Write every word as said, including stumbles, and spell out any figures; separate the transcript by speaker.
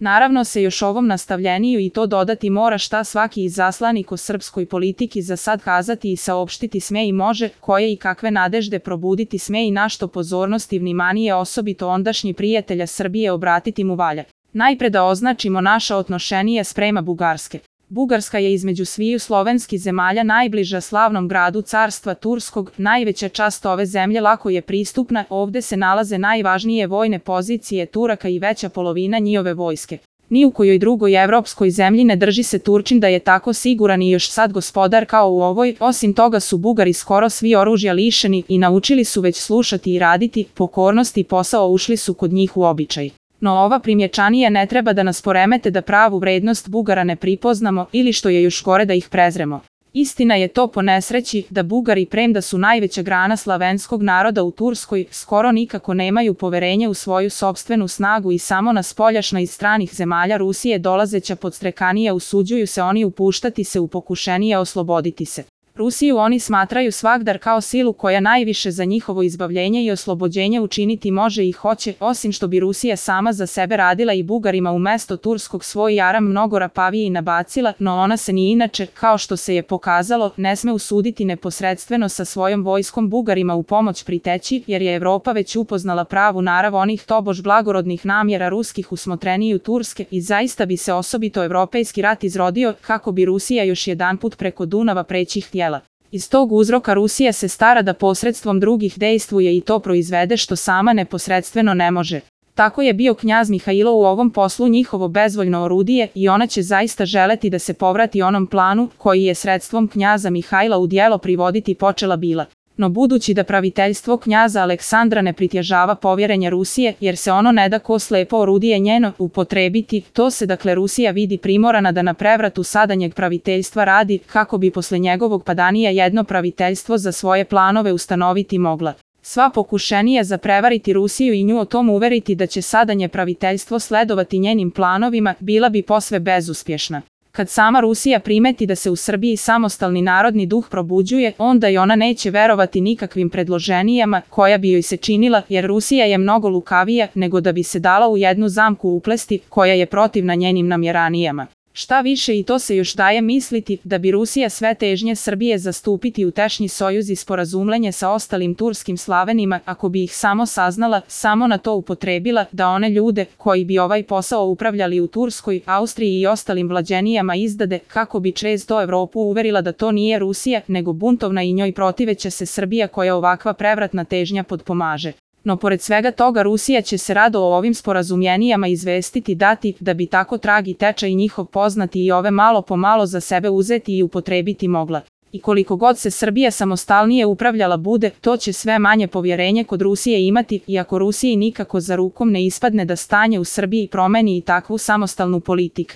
Speaker 1: Naravno se još ovom nastavljeniju i to dodati mora šta svaki izaslanik o srpskoj politiki za sad kazati i saopštiti sme i može, koje i kakve nadežde probuditi sme i na što pozornost i vnimanije osobito ondašnji prijatelja Srbije obratiti mu valja. Najpre da označimo naša odnošenije sprema Bugarske. Bugarska je između sviju slovenskih zemalja najbliža slavnom gradu carstva Turskog, najveća čast ove zemlje lako je pristupna, ovde se nalaze najvažnije vojne pozicije Turaka i veća polovina njihove vojske. Ni u kojoj drugoj evropskoj zemlji ne drži se Turčin da je tako siguran i još sad gospodar kao u ovoj, osim toga su Bugari skoro svi oružja lišeni i naučili su već slušati i raditi, pokornost i posao ušli su kod njih u običaj. No ova primječanija ne treba da nas poremete da pravu vrednost Bugara ne pripoznamo ili što je još gore da ih prezremo. Istina je to po nesreći da Bugari premda su najveća grana slavenskog naroda u Turskoj, skoro nikako nemaju poverenje u svoju sopstvenu snagu i samo na spoljašna iz stranih zemalja Rusije dolazeća podstrekanija usuđuju se oni upuštati se u pokušenije osloboditi se. Rusiju oni smatraju svagdar kao silu koja najviše za njihovo izbavljenje i oslobođenje učiniti može i hoće, osim što bi Rusija sama za sebe radila i Bugarima umesto turskog svoj jaram mnogo rapavije nabacila, no ona se ni inače, kao što se je pokazalo, ne sme usuditi neposredstveno sa svojom vojskom Bugarima u pomoć priteći, jer je Evropa već upoznala pravu narav onih tobož blagorodnih namjera ruskih u smotreniju Turske i zaista bi se osobito evropejski rat izrodio kako bi Rusija još jedanput preko Dunava preći htjela. Iz tog uzroka Rusija se stara da posredstvom drugih dejstvuje i to proizvede što sama neposredstveno ne može. Tako je bio knjaz Mihajlo u ovom poslu njihovo bezvoljno orudije i ona će zaista želeti da se povrati onom planu koji je sredstvom knjaza Mihajla u djelo privoditi počela bila. No budući da praviteljstvo knjaza Aleksandra ne pritježava povjerenje Rusije, jer se ono ne da ko slepo orudije njeno upotrebiti, to se dakle Rusija vidi primorana da na prevratu sadanjeg praviteljstva radi, kako bi posle njegovog padanija jedno praviteljstvo za svoje planove ustanoviti mogla. Sva pokušenija za prevariti Rusiju i nju o tom uveriti da će sadanje praviteljstvo sledovati njenim planovima, bila bi posve bezuspješna. Kad sama Rusija primeti da se u Srbiji samostalni narodni duh probuđuje, onda i ona neće verovati nikakvim predloženijama koja bi joj se činila, jer Rusija je mnogo lukavija nego da bi se dala u jednu zamku uplesti koja je protivna njenim namjeranijama. Šta više i to se još daje misliti da bi Rusija sve težnje Srbije zastupiti u tešnji sojuz i sporazumljenje sa ostalim turskim slavenima, ako bi ih samo saznala, samo na to upotrebila da one ljude koji bi ovaj posao upravljali u Turskoj, Austriji i ostalim vlađenijama izdade, kako bi često Evropu uverila da to nije Rusija, nego buntovna i njoj protiveća se Srbija koja ovakva prevratna težnja potpomaže. No pored svega toga Rusija će se rado o ovim sporazumjenijama izvestiti dati da bi tako trag i tečaj njihov poznati i ove malo po malo za sebe uzeti i upotrebiti mogla. I koliko god se Srbija samostalnije upravljala bude, to će sve manje povjerenje kod Rusije imati, iako Rusiji nikako za rukom ne ispadne da stanje u Srbiji promeni i takvu samostalnu politiku.